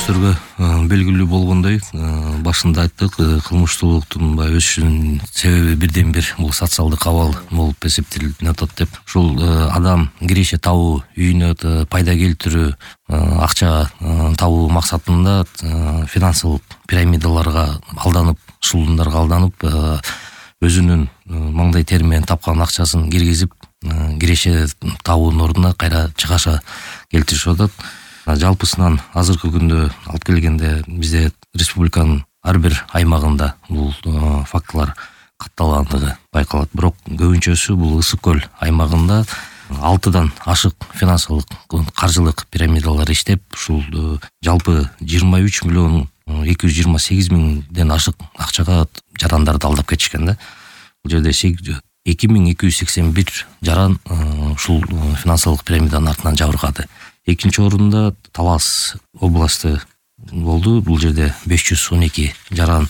көрүүчүлөргө белгилүү болгондой, башында айттык, кылмыштуулуктун өсүшүнүн себеби бирден бир бул социалдык абал болуп эсептелип атат деп. Ушул адам киреше табуу, үйүнө пайда келтирүү, акча табуу максатында финансылык пирамидаларга алданып, шулундарга алданып, өзүнүн маңдай тери менен тапкан акчасын киргизип, киреше табуунун ордуна кайра чыгаша келтиришип атат. Жалпысынан азыркы күндө алып келгенде бизде республиканын ар бир аймагында бул фактылар катталгандыгы байкалат. Бирок көбүнчөсү бул Ысык көл аймагында 6дан ашык финансылык каржылык пирамидалар иштеп, ушул жалпы 23 миллион 228 миңден ашык акчага жарандарды алдап кетишкен да. Бул жерде 2281 жаран ушул финансылык пирамиданын артынан жабыркады. Экинчи орунда Талас областы болду. Бул жерде 512 жаран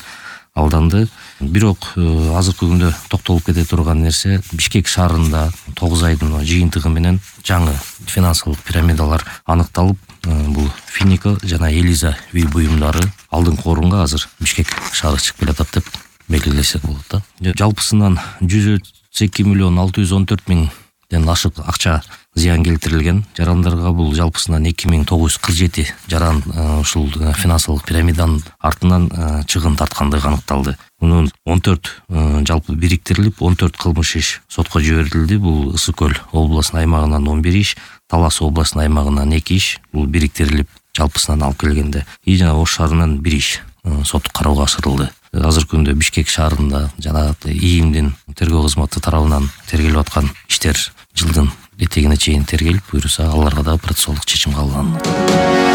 алданды. Бирок азыркы күндө токтолуп кете турган нерсе, Бишкек шаарында 9 айдын жыйынтыгы менен жаңы финансылык пирамидалар аныкталып, бул Финика жана Элиза үй буюмдары алдыңкы орунга азыр Бишкек шаары чыгып келатат деп белгилесек болот да. Жалпысынан 102 миллион 614 миңден ашык акча зыян келтирилген. Жарандарга бул жалпысынан 2947 жаран ушул финансылык пирамиданын артынан чыгын тарткандыгы аныкталды. Мунун 14 жалпы бириктирилип, 14 кылмыш иш сотко жиберилди. Бул Ысык көл областынын аймагынан 11 иш, Талас областынын аймагынан 2 иш, бул бириктирилип жалпысынан алып келгенде. Жана Ош шаарынан 1 иш соттук кароого ашырылды. Азыркы күндө Бишкек шаарында жана ИИМдин тергөө кызматы тарабынан тергелип аткан иштер жылдын этегине чейин тергелип, буюрса аларга да процессуалдык чечим кабыл алынат.